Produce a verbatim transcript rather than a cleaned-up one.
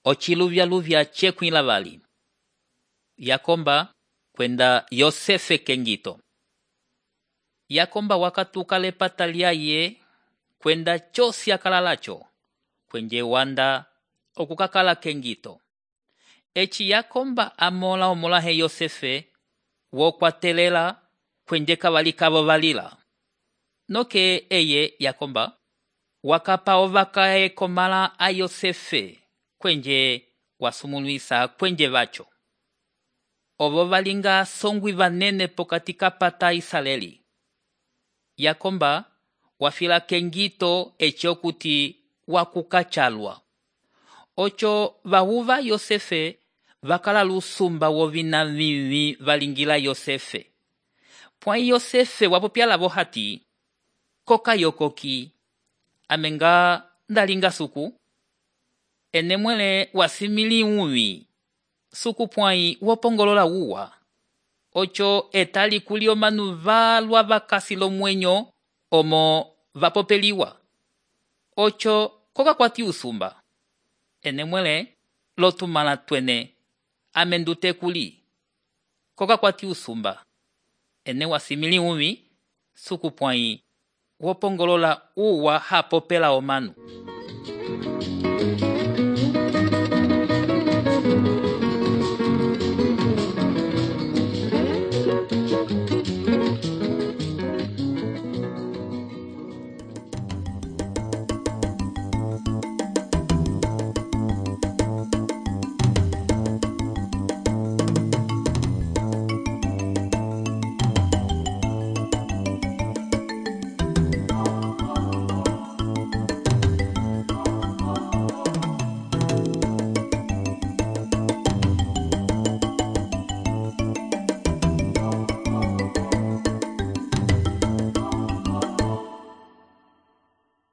ociluvyaluvya cekwila vali. Yakomba kwenda Yosefe kengito. Yakomba wakatuka lepata lyaye kwenda chosi akalalacho kwenje wanda okukakala kengito. Eci Yakomba amola omolahe Yosefe wokwatelela kwenje kavali kavo valila. Noke eye Yakomba wakapa ovakae komala a Yosefe kwenje wasumulwisa kwenje vacho. Ovo valinga songwi vanene pokati kapata Israeli. Yakomba wafila kengito eci okuti wakukachalwa. Ocho vahuva Yosefe vakala lusumba wovina vivi valingila Yosefe. Pwai Yosefe wapopyala vohati koka yokoki amenga ndalinga suku. Enemwele wasimili uwi suku pwai wopongolola uwa. Ocho etali kulio manu valwa vakasi lomwenyo omo vapopeliwa. Ocho koka kwati usumba. Enemwele lotumala twene amendute kuli. Koka kwati usumba. Ene wasimili uwi suku pwai wopongolola uwa hapopela omanu.